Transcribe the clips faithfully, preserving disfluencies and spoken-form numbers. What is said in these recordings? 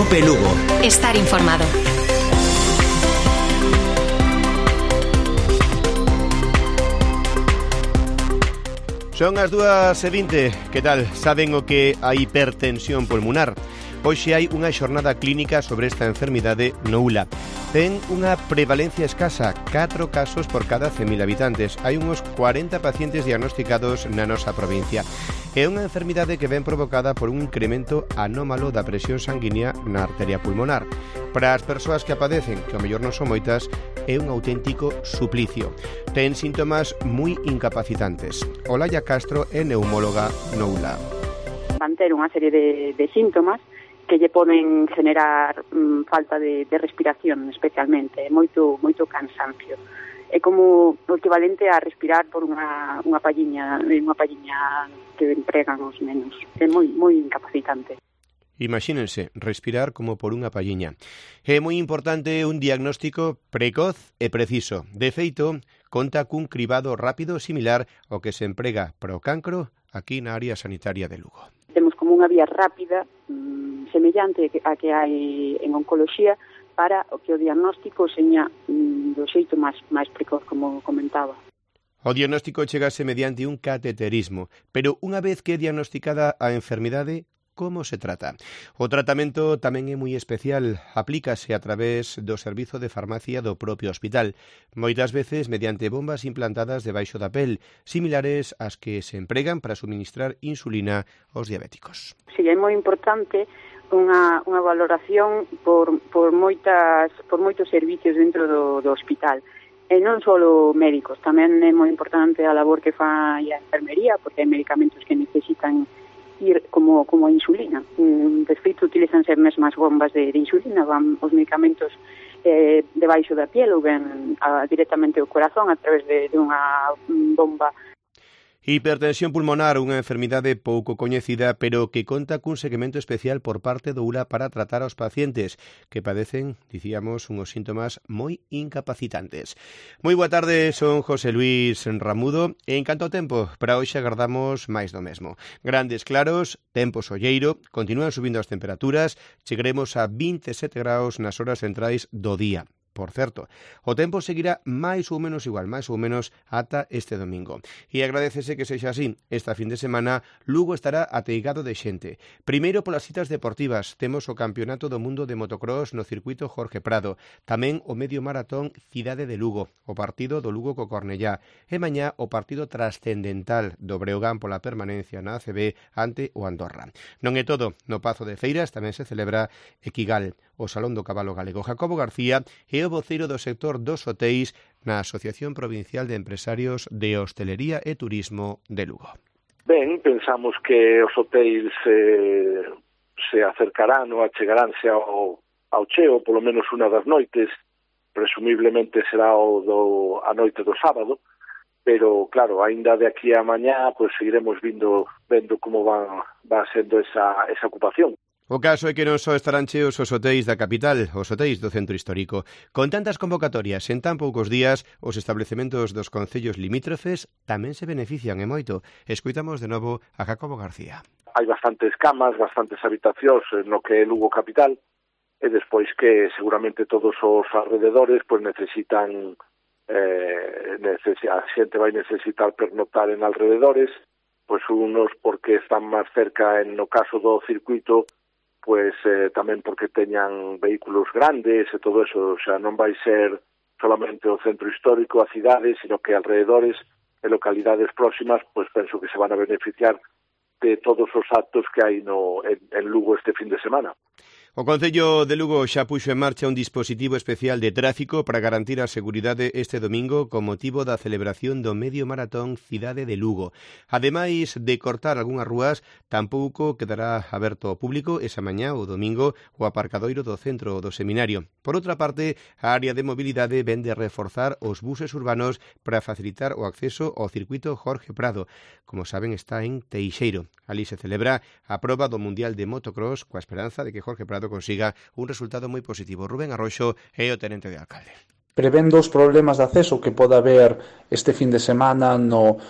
Cope Lugo. Estar informado. Son as dúas e vinte. Que tal? Saben o que a hipertensión pulmonar? Hoxe hai unha xornada clínica sobre esta enfermidade no U L A. Ten unha prevalencia escasa, catro casos por cada cen mil habitantes. Hai uns cuarenta pacientes diagnosticados na nosa provincia. É unha enfermidade que ven provocada por un incremento anómalo da presión sanguínea na arteria pulmonar. Para as persoas que a padecen, que ao mellor non son moitas, é un auténtico suplicio. Ten síntomas moi incapacitantes. Olaya Castro é neumóloga no U L A. Van ter unha serie de, de síntomas que lle poden generar mm, falta de, de respiración, especialmente, moito moito cansancio. É como o equivalente a respirar por unha, unha palliña, unha palliña que empregan os nenos. É moi moi incapacitante. Imagínense, respirar como por unha palliña. É moi importante un diagnóstico precoz e preciso. De feito, conta cun cribado rápido similar ao que se emprega para o cancro aquí na área sanitaria de Lugo. Temos como unha vía rápida, mmm, semellante a que hai en oncoloxía, para o que o diagnóstico seña mmm, do xeito máis, máis precoz, como comentaba. O diagnóstico chegase mediante un cateterismo, pero unha vez que é diagnosticada a enfermidade, como se trata? O tratamento tamén é moi especial, aplícase a través do servizo de farmacia do propio hospital, moitas veces mediante bombas implantadas debaixo da pel, similares ás que se empregan para suministrar insulina aos diabéticos. Si, é moi importante unha, unha valoración por, por, moitas, por moitos servicios dentro do, do hospital. E non só médicos, tamén é moi importante a labor que fai a enfermería, porque hai medicamentos que necesitan ir como, como a insulina. De feito, utilizanse mesmo as bombas de, de insulina, van os medicamentos eh, debaixo da piel ou ben a, directamente ao corazón a través de, de unha bomba. Hipertensión pulmonar, unha enfermidade pouco coñecida, pero que conta cun segmento especial por parte do U L A para tratar aos pacientes que padecen, dicíamos, unhos síntomas moi incapacitantes. Moi boa tarde, son José Luis Ramudo, e en canto ao tempo, para hoxe agardamos máis do mesmo. Grandes claros, tempo solleiro, continúan subindo as temperaturas, chegaremos a vinte e sete graus nas horas centrais do día. Por certo, o tempo seguirá máis ou menos igual, máis ou menos ata este domingo. E agradecese que sexa así. Esta fin de semana, Lugo estará ateigado de xente. Primeiro polas citas deportivas. Temos o Campeonato do Mundo de Motocross no circuito Jorge Prado. Tamén o medio maratón Cidade de Lugo. O partido do Lugo co Cornellá. E mañá o partido trascendental do Breogán pola permanencia na A C B ante o Andorra. Non é todo. No Pazo de Feiras tamén se celebra Equigal, o Salón do Cabalo Galego. Jacobo García e o voceiro do sector dos hotéis na Asociación Provincial de Empresarios de Hostelería e Turismo de Lugo. Ben, pensamos que os hotéis eh, se acercarán ou achegaránse ao, ao cheo, polo menos unha das noites, presumiblemente será o do, a noite do sábado, pero claro, aínda de aquí a mañá pues, seguiremos vindo, vendo como va, va sendo esa, esa ocupación. O caso é que non só estarán cheos os hotéis da capital, os hotéis do centro histórico. Con tantas convocatorias en tan poucos días, os establecementos dos concellos limítrofes tamén se benefician e moito. Escoitamos de novo a Jacobo García. Hai bastantes camas, bastantes habitacións no que é Lugo capital, e despois que seguramente todos os alrededores pues, necesitan, eh, neces a xente vai necesitar pernotar en alrededores, pues unos porque están máis cerca, en no caso do circuito, pues eh, tamén porque teñan vehículos grandes e todo eso, o sea, non vai ser solamente o centro histórico, a cidade, sino que alrededores e localidades próximas, pues penso que se van a beneficiar de todos os actos que hai no, en, en Lugo este fin de semana. O Concello de Lugo xa puxo en marcha un dispositivo especial de tráfico para garantir a seguridade este domingo con motivo da celebración do medio maratón Cidade de Lugo. Ademais de cortar algunhas rúas, tampouco quedará aberto ao público esa mañá ou domingo o aparcadoiro do centro do seminario. Por outra parte, a área de mobilidade vende a reforzar os buses urbanos para facilitar o acceso ao circuito Jorge Prado. Como saben, está en Teixeiro. Alí se celebra a proba do Mundial de Motocross coa esperanza de que Jorge Prado consiga un resultado moi positivo. Rubén Arroxo é o tenente de alcalde. Prevendo os problemas de acceso que pode haber este fin de semana no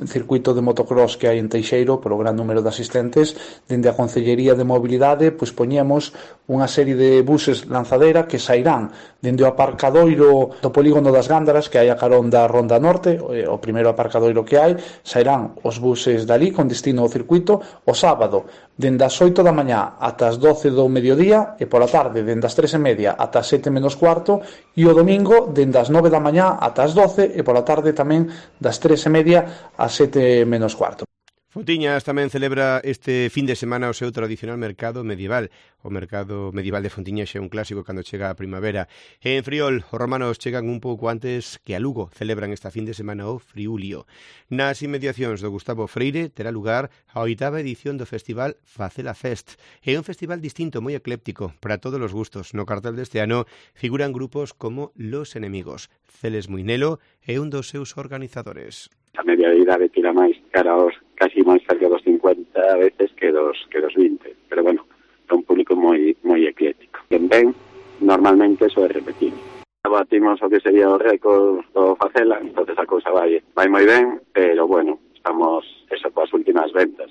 circuito de motocross que hai en Teixeiro polo gran número de asistentes. Dende a Concellería de Mobilidade pois poñemos unha serie de buses lanzadera que sairán dende o aparcadoiro do polígono das Gándaras que hai a carón da Ronda Norte, o primeiro aparcadoiro que hai, sairán os buses dali con destino ao circuito o sábado dende as oito da mañá ata as doce do mediodía e pola tarde dende as tres e media ata as sete menos cuarto e o domingo dende as nove da mañá ata as doce e pola tarde tamén das tres e media ás sete menos cuarto. Fontiñas tamén celebra este fin de semana o seu tradicional mercado medieval. O mercado medieval de Fontiñas é un clásico cando chega a primavera. E en Friol, os romanos chegan un pouco antes que a Lugo. Celebran esta fin de semana o Friulio. Nas inmediacións do Gustavo Freire terá lugar a oitava edición do festival Facela Fest. É un festival distinto, moi ecléptico, para todos os gustos. No cartel deste ano figuran grupos como Los Enemigos. Celes Muinelo é un dos seus organizadores. A media de idade tira máis cara aos casi máis cerca dos cincuenta veces que dos que dos vinte, pero bueno, é un público moi moi ecléctico. Quen ven, normalmente eso é repetir. Batimos o que sería o récord do Facela, entonces a cousa vai vai moi ben, pero bueno, estamos eso coas últimas ventas.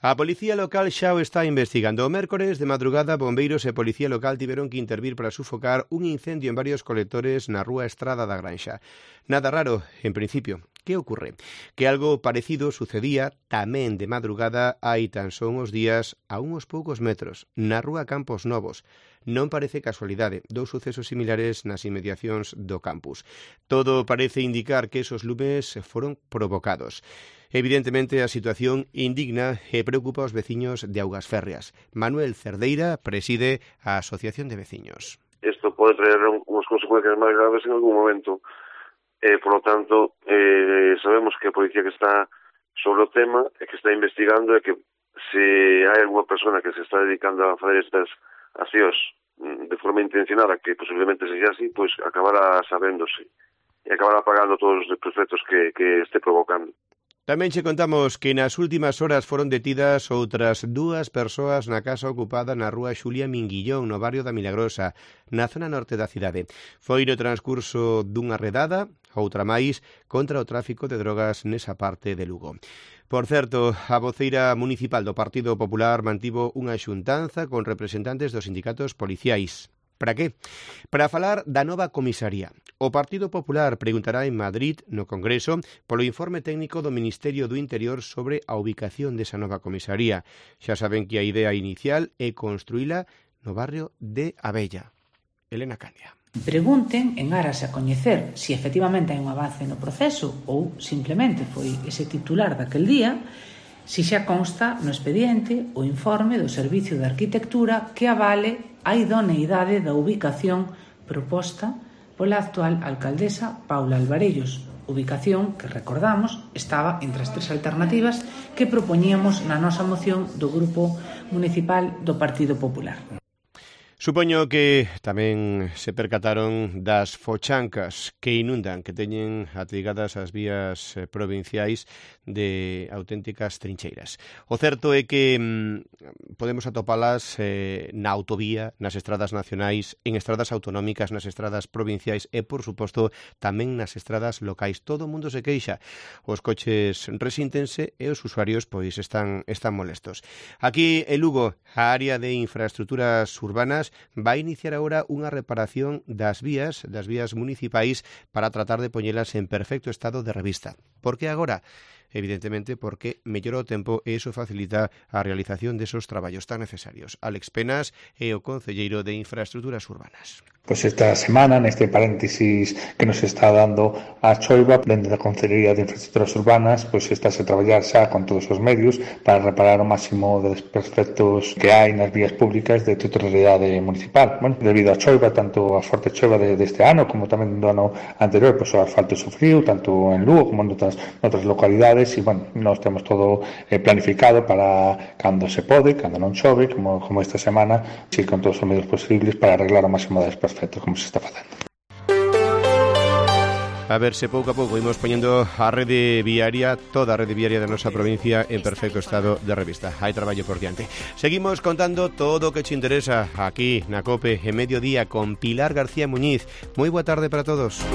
A Policía Local xa o está investigando. O mércores de madrugada, bombeiros e Policía Local tiveron que intervir para sufocar un incendio en varios colectores na rúa Estrada da Granxa. Nada raro, en principio. Que ocorre? Que algo parecido sucedía tamén de madrugada hai tan son os días a uns poucos metros, na rúa Campos Novos. Non parece casualidade, dous sucesos similares nas inmediacións do campus. Todo parece indicar que esos lumes foron provocados. Evidentemente, a situación indigna e preocupa aos veciños de Augas Férreas. Manuel Cerdeira preside a Asociación de Veciños. Isto pode traer unhas consecuencias máis graves en algún momento. Eh, por lo tanto, eh, sabemos que a policía que está sobre o tema e que está investigando e que se hai alguna persona que se está dedicando a fazer estas accións de forma intencionada, que posiblemente sexa así, pois acabará sabéndose e acabará pagando todos os desperfectos que, que este provocando. Tamén che contamos que nas últimas horas foron detidas outras dúas persoas na casa ocupada na rúa Xulia Minguillón, no barrio da Milagrosa, na zona norte da cidade. Foi no transcurso dunha redada, outra máis, contra o tráfico de drogas nesa parte de Lugo. Por certo, a voceira municipal do Partido Popular mantivo unha xuntanza con representantes dos sindicatos policiais. Para que? Para falar da nova comisaría. O Partido Popular preguntará en Madrid, no Congreso, polo informe técnico do Ministerio do Interior sobre a ubicación desa nova comisaría. Xa saben que a idea inicial é construíla no barrio de Abella. Elena Candia. Pregunten en aras a coñecer se efectivamente hai un avance no proceso ou simplemente foi ese titular daquel día, se xa consta no expediente o informe do Servicio de Arquitectura que avale a idoneidade da ubicación proposta pola actual alcaldesa Paula Alvarellos, ubicación que, recordamos, estaba entre as tres alternativas que propoñíamos na nosa moción do Grupo Municipal do Partido Popular. Supoño que tamén se percataron das fochancas que inundan, que teñen atrigadas as vías provinciais de auténticas trincheiras. O certo é que mm, podemos atopalas eh, na autovía, nas estradas nacionais, en estradas autonómicas, nas estradas provinciais e, por suposto, tamén nas estradas locais. Todo o mundo se queixa. Os coches resíntense e os usuarios pois están, están molestos. Aquí, en Lugo, a área de infraestructuras urbanas vai iniciar agora unha reparación das vías, das vías municipais para tratar de poñelas en perfecto estado de revista. Por que agora? Evidentemente porque mellora o tempo e iso facilita a realización desos traballos tan necesarios. Álex Penas é o concelleiro de Infraestructuras Urbanas. Pois esta semana, neste paréntesis que nos está dando a choiva, dentro da Concellería de Infraestructuras Urbanas, pois estáse a traballar xa con todos os medios para reparar o máximo de desperfectos que hai nas vías públicas de titularidade municipal. Bueno, debido á choiva, tanto a forte choiva de, deste ano como tamén do ano anterior, pois o asfalto sufriu, tanto en Lugo como en outras, outras localidades, e, bueno, nós temos todo eh, planificado para cando se pode, cando non chove, como, como esta semana, e con todos os medios posibles para arreglar o máximo de desperfectos como se está facendo. A ver se pouco a pouco imos poñendo a rede viaria, toda a rede viaria da nosa provincia en perfecto estado de revista. Hai traballo por diante. Seguimos contando todo o que te interesa aquí na COPE en Mediodía con Pilar García Muñiz. Moi boa tarde para todos.